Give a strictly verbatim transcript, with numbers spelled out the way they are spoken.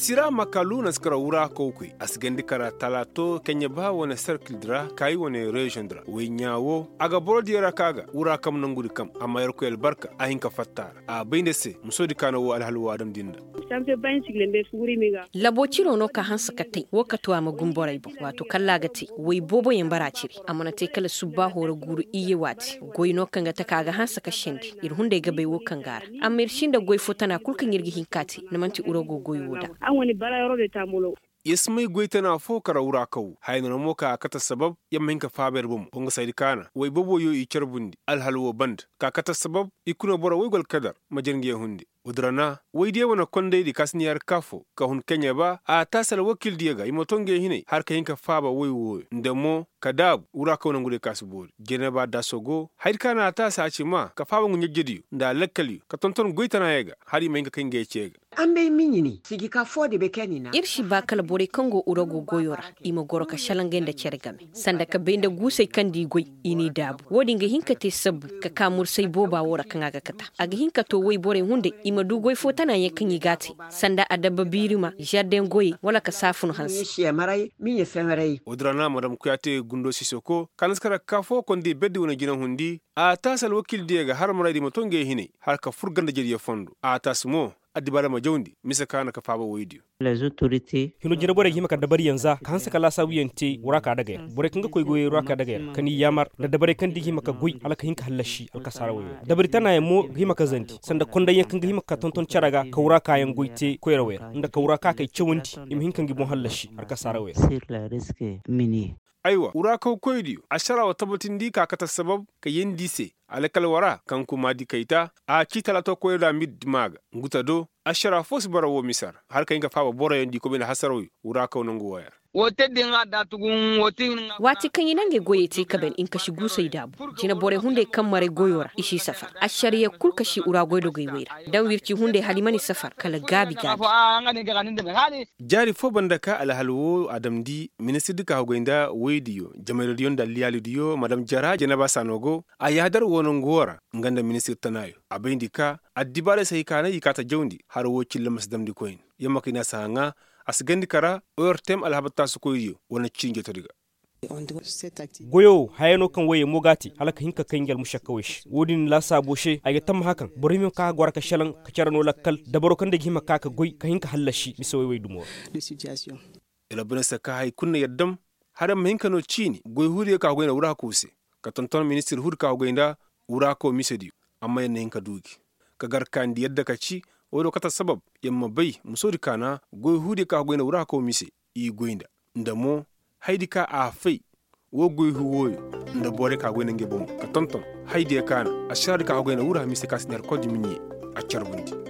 Sira makalu na si kara wura kawkoy a si gandi kara talaato keɲe ba wane serkildi ra kaayi wane reziyoŋ di ra woy ɲaa wo a ga boro diyo ra ka ga wura kam nangudi kam amma yerkoy albarka a hin ka fatta a ra a bay nda se musoodi ka na wo alhal wo a damndi nda. Labo ciro no ka hanse ka tey wo ka tu a ma gumborey boŋ waato kalla a ga tey woy booboyaŋ bara ciri a mana tey kala subbaaho ra guuru iyye waati goy no kaŋ ga taka a ga hanse ka sendi ir hunday ga bay wo kaŋ ga a ra. Amma ir si nda goy fo tana kul kaŋ ir ga hin ka tey ni man'ti urago goy wo da. Yer si may goy tana fo kara wura kaw haya no na mo ka a kate sabab yer ma hin ka faaba yer bomo wa nga saydi kaana woy booboyo i carbundi alhal wo banda ka kate sabab i kuna boro woy go alkadar ma jere nga yer hunde. Woy diyo wane kondaydi ka si na yer kaafo ka hun keɲe ba a taasi alwakildiyo ga i ma to nga yer hinay har ka hin ka faaba woy wooyo nda mo ka daabu wura kaw nongudiyo ka si boori jere ba daaso go haydi kaana a taasi a ci maa ka faaba ngu ɲajjediyo nda alakkalyo ka tonton goy tana yer ga har i ma hin ka kay nga yer ce ga. Ir si ba kala borey kaŋ go urago goyo ra i ma goro ka šalangay nda cere game sanda ka bay nda guusey kaŋ nda i goy i n'i daabu wo-din ga hin ka te sabbu ka ka mursay booba wo ra kaŋ a ga kata a ga hin ka to woy borey hunday i ma du goy fo tana yaŋ kaŋ i g'a te sanda adabba biirima žardeŋ goyey wala ka saafun hanse. Wo-din ra no a madam kuyaate gundo sisoko kaŋ na si kara ka ka fo konday berdi wane jinahundi a taasi alwakildiyo ga har maraydi ma to ngey hinay har ka fur ganda jariyo fondo a taasi mo addibaara ma jawndi mise kaŋ a na ka faaba woydiyo. Hino jina borey ga hima ka dabariyaŋ za ka hanse ka laasaabuyaŋ te wura ka daga yer borey kaŋ ga koy goyey wura ka daga yer ka ni yaamar nda dabarey kaŋ da i ga hima ka goy hala ka hin ka hallasi alkasaara woyey ra dabari tanaayaŋ mo ga hima ka zandi sanda kondayyaŋ kaŋ ga hima ka tonton cere ga ka wura kaayaŋ goy te koyrawey ra nda ka wura ka kay cawandi i ma hin ka ngi boŋ hallasi alkasaara woyey ra. Aywa wura kaw koydiyo ašara wa tabbatindi ka kate sabab ka yeendi i se alkal wara kaŋ kumaadi kayta a ci talaato koyra da mirdi maa ga ngu ta do ašara fo si bara woo mise ra hala ka hin ka faaba boroyaŋ da i koy bay nda hasarawyo wura kaw nangu wooyaŋ ra. Waati kaŋ i na ngey goyey te ka ban i ma kasi guusey daabu jina borey hunday kaŋ maray goyo ra i si safar ašariya kul kasi wura goydogey wey ra daŋ wirci hunday hala i mana i safar kala gaabi gaabi. Jaari foo banda ka alhal woo a damndi ministirdi ka haggoy nda woydiyo jamayroodiyo nda alliyaalidiyo madam jara janaba saano go a yaadar woo nangu woo ra nga nda ministir tanaayo a bayndi ka addibaarey si hay ka nay i kaa ta jawndi har woo cilla ma si damndi koyne yer ma kay ne a si haŋa a si gandi kara ortem alhabar taasikoydiyo wane ciini jotodi ga. Goyo wo haya no kaŋ woyey mo g'a te hala ka hin ka kay ngi almušakkawey se woodin laasaabo se ay ga tammaha kaŋ boro hima ka goro ka šelaŋ ka cere no lakkal dabaro kaŋ day ga hima ka ka goy ka hin ka hallasi mise woy wey dumo ra. Yer bane se ka hay kul na yer dam hala yer ma hin ka no ciini goy huudiyo ka goy nda wura hakoo se ka tonton ministir huudi ka goy nda wura hakoo misediyo amma yer na hin ka du gi ka gar ka ni di yadda ka ci woy do kate sabab yer ma bay musoodi ka na goy huudiyo ka goy nda wura hakoo mise i goy nda nda mo haydi ka a fay woo goy huu wooyo nda borey ka goy nda ngey bomo ka tonton haydiyo ka na ašaraadi ka goy nda wura mise ka si ne alkoodi miɲe a carbundi.